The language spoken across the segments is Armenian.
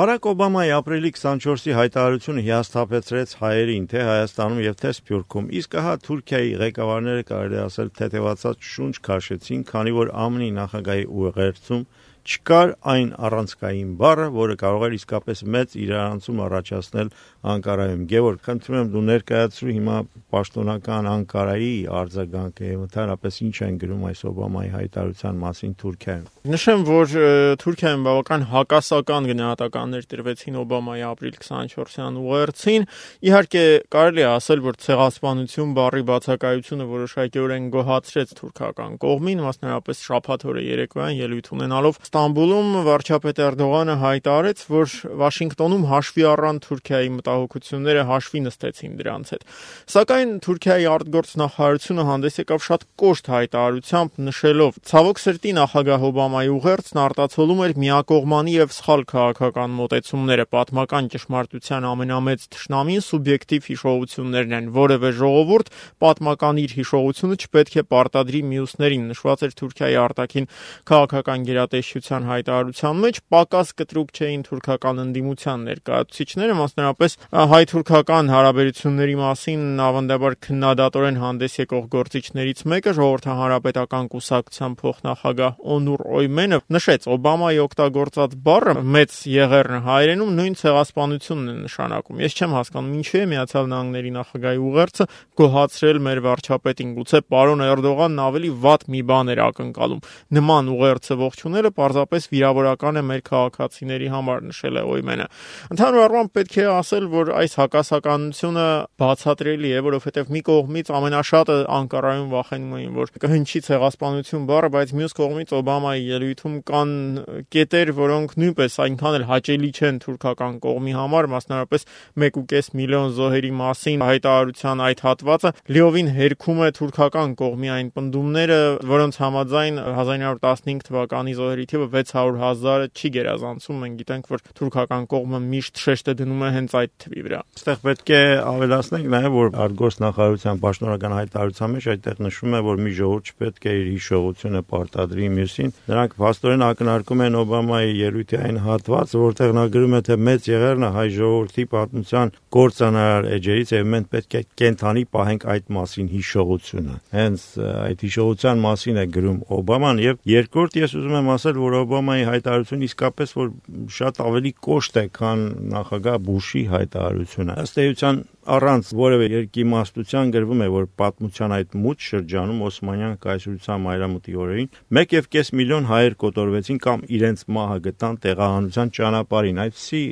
Բարակ Օբամայի ապրիլի 24-ի հայտարարությունը հիասթափեցրեց հայերին թե Հայաստանում եւ թե Սփյուռքում, իսկ ահա Թուրքիայի ղեկավարները կարելի ասել թեթևացած շունչ քաշեցին, քանի որ ԱՄՆ-ի նախագահի ուղերձում չկար այն առանցքային բառը, որը կարող էր իսկապես մեծ իրարանցում առաջացնել Անկարայում։ Գևորգ, խնդրում եմ դու ներկայացրու հիմա պաշտոնական Անկարայի արձագանքը եւ ընդհանրապես ինչ են գրում այս Օբամայի հայտարարության մասին Թուրքիայում։ Նշեմ, որ Թուրքիայում բավական հակասական գնահատականներ տրվեցին Օբամայի ապրիլ 24-յան ուղերձին։ Իհարկե, կարելի է ասել, որ ցեղասպանություն բառի բացակայությունը որոշակիորեն գոհացրեց թուրքական կողմին, մասնավորապես շաբաթ օրը երեկոյան ելույթ ունենալով Ստամբուլում վարչապետ Էրդողանը հայտարարեց, որ Վաշինգտոնում հաշվի առան Թուրքիայի մտահոգությունները, հաշվի նստեցին դրանց հետ։ Սակայն Թուրքիայի արտգործնախարարությունը հանդես եկավ շատ կոշտ հայտարարությամբ, նշելով. «Ցավոք սրտի նախագահ Օբամայի ուղերձն արտացոլում էր միակողմանի եւ սխալ քաղաքական մոտեցումները, պատմական ճշմարտության ամենամեծ թշնամին սուբյեկտիվ հիշողություններն են, որևէ ժողովուրդ պատմական իր հիշողությունը չպետք է պարտադրի մյուսներին», նշված էր Թուրքիայի արտաքին քաղաքական գերատեսչության հայտարարության մեջ։ Պակաս կտրուկ չէին թուրքական ընդդիմության ներկայացուցիչները, մասնավորապես հայ-թուրքական հարաբերությունների մասին ավանդաբար քննադատորեն հանդես եկող գործիչներից մեկը, ժողովրդահանրապետական կուսակցության փոխնախագահ Օնուր Օյմենը, նշեց, Օբամայի օգտագործած բառը մեծ եղեռն հայերենում նույն ցեղասպանությունն է նշանակում։ Ես չեմ հասկանում, ինչու է Միացյալ Նահանգների նախագահի ուղերձը գոհացրել մեր վարչապետին, գուցե պարոն Էրդողանն ավելի վատ մի բան էր ակնկալում։ Նման ուղերձը ողջունելը պարզապես վիրավորական է մեր քաղաքացիների համար, նշել է Օյմենը։ Ընդհանուր առմամբ պետք է ասել, որ այս հակասականությունը բացատրելի է, որովհետև մի կողմից ամենաշատը Անկարայում վախենում էին, որ կհնչի ցեղասպանություն բառը, բայց մյուս կողմից Օբամայի ելույթում կան կետեր, որոնք նույնպես այնքան էլ հաճելի չեն թուրքական կողմի համար, մասնավորապես 1.5 միլիոն զոհերի մասին հայտարարության այդ հատվածը լիովին հերքում է թուրքական կողմի այն պնդումները, որոնց համաձայն 1915 թվականի զոհերի թիվը 600,000-ը չի գերազանցում։ Մենք գիտենք, որ թուրքական կողմը միշտ շեշտը դնում է հենց այդ թվի վրա։ Այստեղ պետք է ավելացնենք նաև, որ արտգործնախարարության պաշտոնական հայտարարության մեջ այդտեղ նշվում է, որ մի ժողովուրդ չպետք է իր հիշողությունը պարտադրի մյուսին։ Նրանք փաստորեն ակնարկում են Օբամայի ելույթի այն հատվածը, որտեղ նա գրում է, թե մեծ եղեռնը հայ ժողովրդի պատմության կործանարար էջերից է, մենք պետք է կենթանի պահենք այդ մասին հիշողությունը։ Հենց այդ հիշողության մասին է գրում Օբաման եւ երկրորդ ես ուզում եմ ասել, որ Օբամայի հայտարարությունը իսկապես որ շատ ավելի կոշտ է, քան նախագահ Բուշի հայտարարությունը։ Ըստ էության առանց որևէ երկիմաստության գրվում է, որ պատմության այդ մութ շրջանում Օսմանյան կայսրության մայրամուտի օրերին 1.5 միլիոն հայեր կոտորվեցին կամ իրենց մահը գտան տեղահանության ճանապարհին։ Այսպիսի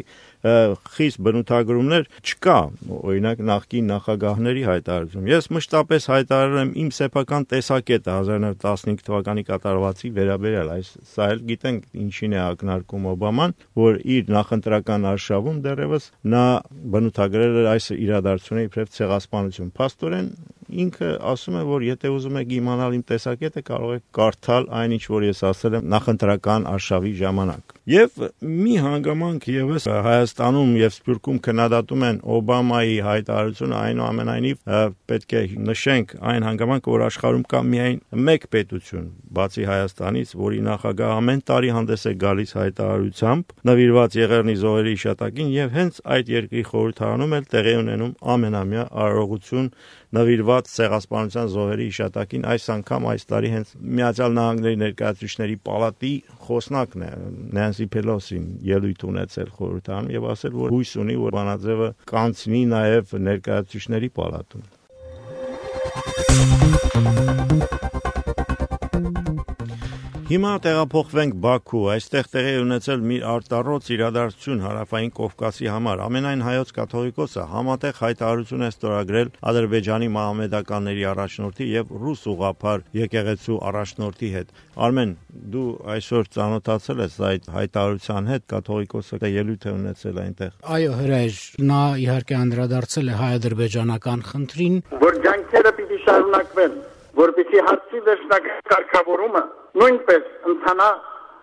խիստ բնութագրումներ չկա, օրինակ նախկին նախագահների հայտարարությունում։ Ես մշտապես հայտարարել եմ իմ սեփական տեսակետը 1915 թվականի կատարվածի վերաբերյալ, սա էլ գիտենք ինչին է ակնարկում Օբաման, որ իր նախընտրական արշավում դեռևս նա բնութագրել էր այս իրադարձությունը իբրև ցեղասպանություն։ Փաստորեն ինքը ասում է, որ եթե ուզում եք իմանալ իմ տեսակետը, կարող եք կարդալ այն, ինչ որ ես ասել եմ նախընտրական արշավի ժամանակ։ Եվ մի հանգամանք եւս Հայաստանում եւ Սփյուռքում քննադատում են Օբամայի հայտարարությունը, այնուամենայնիվ պետք է նշենք այն հանգամանքը, որ աշխարհում կա միայն մեկ պետություն, բացի Հայաստանից, որի նախագահ ամեն տարի հանդես է գալիս հայտարարությամբ նվիրված եղեռնի զոհերի հիշատակին եւ հենց այդ երկրի խորհրդարանում էլ տեղի ունենում ամենամյա արարողություն նվիրված ցեղասպանության զոհերի հիշատակին։ Այս անգամ այս տարի հենց Միացյալ Նահանգների ներկայացուցիչների պալատի խոսնակն է Նենսի Փելոսին ելույթ ունեցել խորհրդարանում եւ ասել, որ հույս ունի, որ բանաձևը կանցնի նաեւ ներկայացուցիչների պալատում։ Հիմա տեղափոխվենք Բաքու, այստեղ տեղի ունեցել մի արտառոց իրադարձություն Հարավային Կովկասի համար։ Ամենայն հայոց կաթողիկոսը համատեղ հայտարարություն է ստորագրել Ադրբեջանի մահմեդականների առաջնորդի եւ ռուս ուղղափառ եկեղեցու առաջնորդի հետ։ Արմեն, դու այսօր ծանոթացել ես այդ հայտարարության հետ, կաթողիկոսը ելույթ է ունեցել այնտեղ։ Այո, հրաժ, նա իհարկե անդրադարձել է հայ-ադրբեջանական խնդրին, որ ջանքերը պիտի շարունակվեն, որպեսզի հարցի վերջնական կարգավորումը նույնպես ընթանա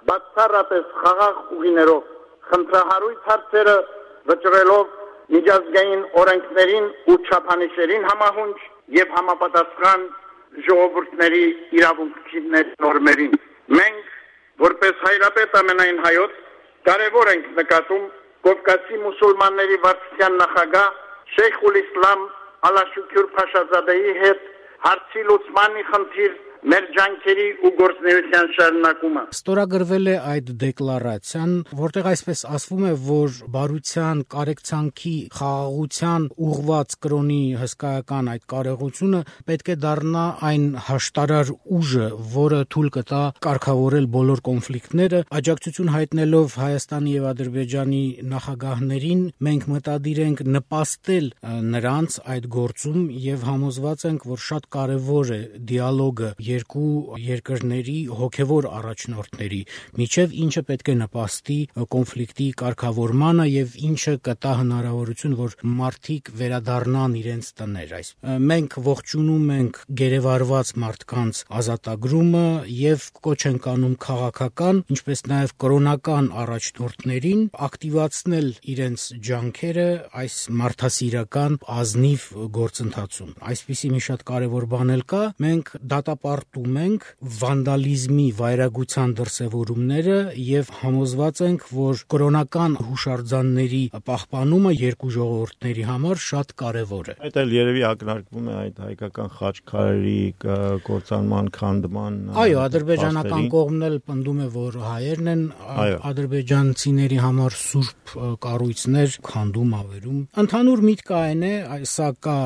բացառապես խաղաղ ուղիներով, խնդրահարույց հարցերը վճռելով միջազգային օրենքներին ու չափանիշերին համահունչ եւ համապատասխան ժողովուրդների իրավունքների նորմերին։ Մենք, որպես հայրապետ ամենայն հայոց, կարևոր ենք նկատում Կովկասի մուսուլմանների վարչության նախագահ Շեյխուլ Իսլամ Ալաշուքյուր Փաշազադեի հետ հարցի լուծմանի խնդիր մեր ջանքերի ու գործունեության շարունակումը։ Ստորագրվել է այդ դեկլարացիան, որտեղ այսպես ասվում է, որ բարության, կարեկցանքի, խաղաղության ուղղված կրոնի հսկայական այդ կարողությունը պետք է դառնա այն հաշտարար ուժը, որը թույլ կտա կարգավորել բոլոր կոնֆլիկտները, աջակցություն հայտնելով Հայաստանի եւ Ադրբեջանի նախագահներին, մենք մտադիր ենք նպաստել նրանց այդ գործում եւ համոզված ենք, որ շատ կարեւոր է դիալոգը երկու երկրների հոգևոր առաջնորդների միջև, ինչը պետք է նպաստի կոնֆլիկտի կարգավորմանը եւ ինչը կտա հնարավորություն, որ մարդիկ վերադառնան իրենց տներ։ Մենք ողջունում ենք գերեվարված մարդկանց ազատագրումը եւ կոչ ենք անում քաղաքական, ինչպես նաեւ կրոնական առաջնորդներին ակտիվացնել իրենց ջանքերը այս մարդասիրական ազնիվ գործընթացում։ Այսպիսի մի շատ կարեւոր բան էլ կա, մենք դատապարտում ենք վանդալիզմի, վայրագության դրսևորումները եւ համոզված ենք, որ կրոնական հուշարձանների պահպանումը երկու ժողովուրդների համար շատ կարեւոր է։ Այդ էլ երևի ակնարկվում է այդ հայկական խաչքարերի կործանման, քանդման։ Այո, ադրբեջանական կողմն էլ պնդում է, որ հայերն են ադրբեջանցիների համար սուրբ կառույցներ քանդում, ավերում։ Ընդհանուր միտքը այն է, սա կա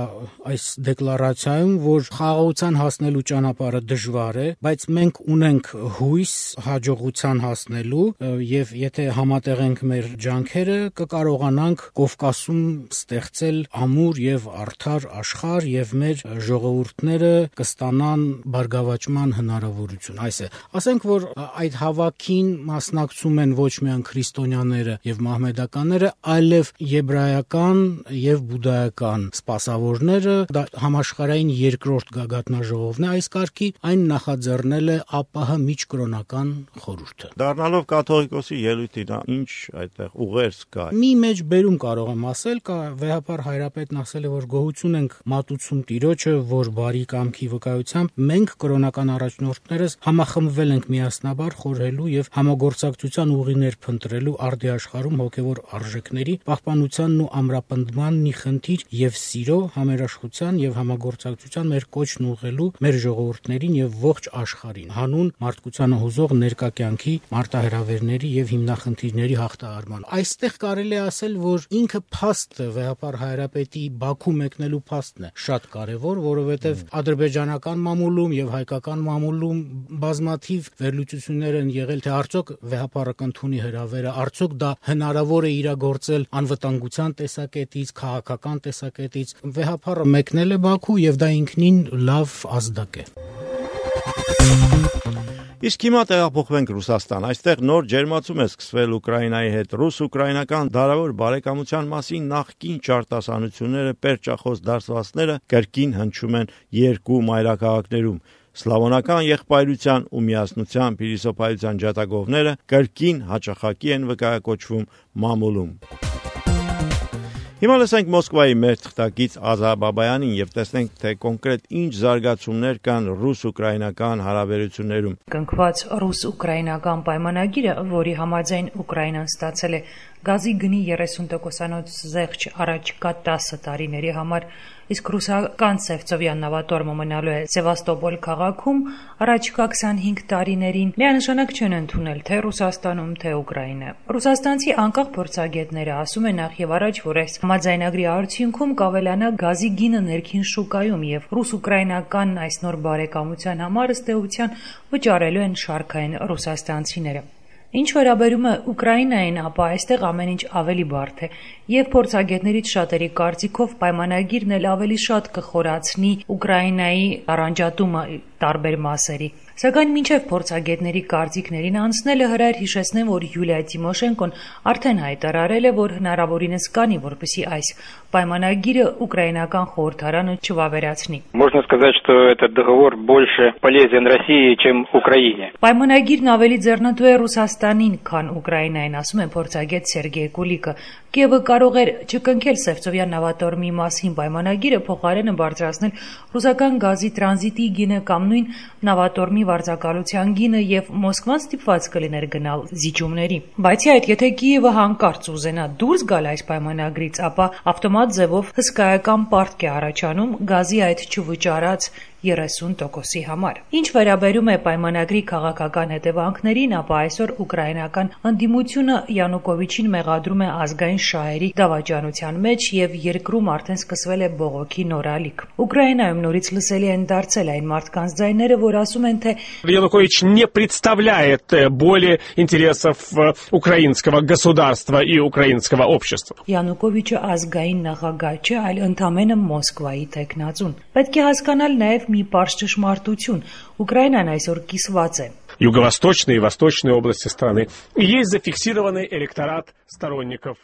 այս դեկլարացիայում, որ խաղաղության հասնելու ճանապարհը դժվար է, բայց մենք ունենք հույս հաջողության հասնելու եւ եթե համատեղենք մեր ջանքերը, կկարողանանք Կովկասում ստեղծել ամուր եւ արդար աշխարհ եւ մեր ժողովուրդները կստանան բարգավաճման հնարավորություն։ Այս է, ասենք, որ այդ հավաքին մասնակցում են ոչ միայն քրիստոնյաները եւ մահմեդականները, այլև եբրայական եւ բուդդայական սպասավորները, դա համաշխարհային երկրորդ գագաթնաժողովն է այս կարգի, այն նախաձեռնել է ԱՊՀ միջկրոնական խորհուրդը։ Դառնալով կաթողիկոսի ելույթին, ինչ այդտեղ ուղերձ կա։ Մի մեջ բերում կարող եմ ասել, կա վեհապար հայրապետն ասել է, որ գոհություն ենք մատուցում Տիրոջը, որ բարի կամքի վկայությամբ մենք կրոնական առաջնորդներս համախմբվել ենք միասնաբար խորհելու եւ համագործակցության ուղիներ փնտրելու արդի աշխարհում հոգեվոր արժեքների պահպանությանն ու ամրապնդմանն ի խնդիր եւ սիրո, համերաշխության եւ համագործակցության մեր կոչն ուղղելու մեր ժողովուրդներին եւ ողջ աշխարհին, հանուն մարդկությանը հուզող ներկա կյանքի մարտահրավերների եւ հիմնախնդիրների հաղթահարման։ Այստեղ կարելի է ասել, որ ինքը փաստը վեհապար հայրապետի Բաքու մեկնելու փաստն է շատ կարեւոր, որովհետեւ ադրբեջանական մամուլում եւ հայկական մամուլում բազմաթիվ վերլուծություններ են եղել, թե արդյոք վեհապարը կընդունի հրավերը, արդյոք դա հնարավոր է իրագործել անվտանգության տեսակետից, քաղաքական տեսակետից։ Վեհապարը մեկնել է Բաքու եւ դա ինքնին լավ ազդակ է։ Իսկ հիմա տեղափոխվենք Ռուսաստան։ Այստեղ նոր ջերմացում է սկսվել Ուկրաինայի հետ։ Ռուս-ուկրաինական դարավոր բարեկամության մասին նախկին ճարտասանությունները, պերճախոս դասվածները կրկին հնչում են երկու մայրաքաղաքներում։ Սլավոնական եղբայրության ու միասնության փիլիսոփայության ջատագովները կրկին հաճախակի են վկայակոչվում մամուլում։ Հիմա լսենք Մոսկվայի մեր թղթակից Ազա Բաբայանին եւ տեսնենք, թե կոնկրետ ինչ զարգացումներ կան ռուս-ուկրաինական հարաբերություններում։ Կնքված ռուս-ուկրաինական պայմանագիրը, որի համաձայն Ուկրաինան ստացել է գազի գնի 30%-անոց զեղչ առաջիկա 10 տարիների համար, իսկ ռուսական Սևծովյան նավատորմը մնալու է Սևաստոպոլ քաղաքում առաջիկա 25 տարիներին, միանշանակ չեն ընդունել թե Ռուսաստանում, թե Ուկրաինա։ Ռուսաստանցի անկախ փորձագետները ասում են նախ եւ առաջ, որ այս համաձայնագրի արդյունքում կավելանա գազի գինը ներքին շուկայում եւ ռուս-ուկրաինական այս նոր բարեկամության համար ըստ էության վճարելու են շարքային ռուսաստանցիները։ Ինչ վերաբերում է Ուկրաինային, ապա այստեղ ամեն ինչ ավելի բարդ է, եւ փորձագետներից շատերի կարծիքով պայմանագիրն էլ ավելի շատ կխորացնի Ուկրաինայի առանջատումը տարբեր մասերի։ Սակայն մինչև փորձագետների կարծիքներին անցնելը հրայր հիշեցնեմ, որ Յուլիա Տիմոշենկոն արդեն հայտարարել է, որ հնարավորինս կանի, որպեսզի այս պայմանագիրը ուկրաինական խորհրդարանը չվավերացնի։ Можно сказать, что этот договор больше полезен России, чем Украине. Պայմանագիրն ավելի ձեռնտու է Ռուսաստանին, քան Ուկրաինային, ասում է փորձագետ Սերգեյ Կուլիկը։ Կիևը կարող էր չկնքել Սևծովյան նավատորմի մասին պայմանագիրը, փոխարենը բարձրացնել ռուսական գազի տրանզիտի գինը կամ համանուն նավատորմի վարձակալության գինը եւ Մոսկվան ստիպված կլիներ գնալ զիջումների։ Բացի այդ, եթե Կիևը հանկարծ ուզենա դուրս գալ այս պայմանագրից, ապա ավտոմատ ձևով հսկայական պարտք է առաջանում գազի այդ չվճարած 30%-ի համար։ Ինչ վերաբերում է պայմանագրի քաղաքական հետևանքներին, ապա այսօր ուկրաինական ընդդիմությունը Յանուկովիչին մեղադրում է ազգային շահերի դավաճանության մեջ եւ երկրում արդեն սկսվել է բողոքի նոր ալիք։ Ուկրաինայում նորից լսելի են դարձել այն մարդկանց ձայները, որ ասում են, թե Янукович не представляет более интересов украинского государства и украинского общества. Յանուկովիչը ազգային նախագահ չէ, այլ ընդամենը Մոսկվայի տեխնացուն։ Պետք է հասկանալ նաեւ մի պարզ ճշմարտություն. Ուկրաինան այսօր կիսված է։ Юго-восточные и восточные области страны. И есть зафиксированный электорат сторонников.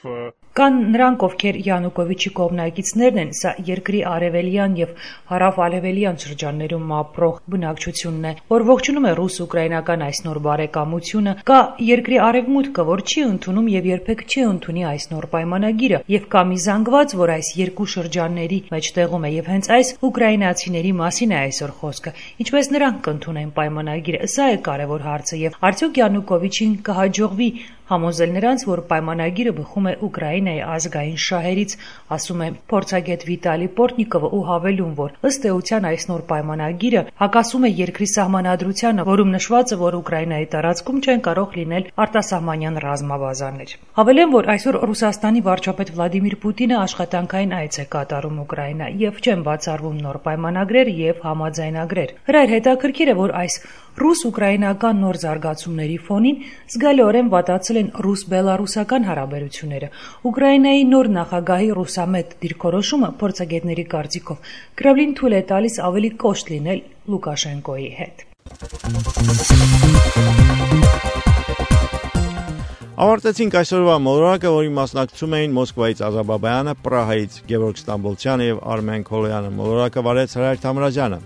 Կան նրանք, ովքեր Յանուկովիչի կողմնակիցներն են, սա երկրի արևելյան եւ հարավ-արևելյան շրջաններում ապրող բնակչությունն է, որ ողջունում է ռուս-ուկրաինական այս նոր բարեկամությունը, կա երկրի արևմուտքը, որ չի ընդունում եւ երբեք չի ընդունի այս նոր պայմանագիրը, եւ կա մի զանգված, որ այս երկու շրջանների մեջ տեղում է, եւ հենց այս ուկրաինացիների մասին է այսօր խոսքը, ինչպես նրանք կընդունեն պայմանագիրը, սա է կարևոր հարցը, եւ արդյոք Յանուկովիչին կհաջողվի համոզել նրանց, որ պայմանագիրը բխում է Ուկրաինայի ազգային շահերից, ասում է փորձագետ Վիտալի Պորտնիկովը ու հավելում, որ ըստ էության այս նոր պայմանագիրը հակասում է երկրի սահմանադրությանը, որում նշված է, որ Ուկրաինայի տարածքում չեն կարող լինել արտասահմանյան ռազմաբազաներ։ Հավելեմ, որ այսօր Ռուսաստանի վարչապետ Վլադիմիր Պուտինը աշխատանքային այց է կատարում Ուկրաինա եւ չեն բացառվում նոր պայմանագրեր եւ համաձայնագրեր։ Հրայր հետաքրքիր է, որ այս ռուս-ուկրաինական նոր զարգացումների ֆոնին զգալիորեն վատացել են ռուս-բելարուսական հարաբերությունները։ Ուկրաինայի նոր նախագահի ռուսամետ դիրքորոշումը փորձագետների կարծիքով Կրեմլին թույլ է տալիս ավելի կոշտ լինել Լուկաշենկոյի հետ։ Ավարտեցինք այսօրվա մոլորակը, որի մասնակցում էին Մոսկվայից Ազաբաբայանը, Պրահայից Գևորգ Ստամբոլցյանը եւ Արմեն Քոլոյանը։ Մոլորակը վարեց Հրայր Թամրազյանը։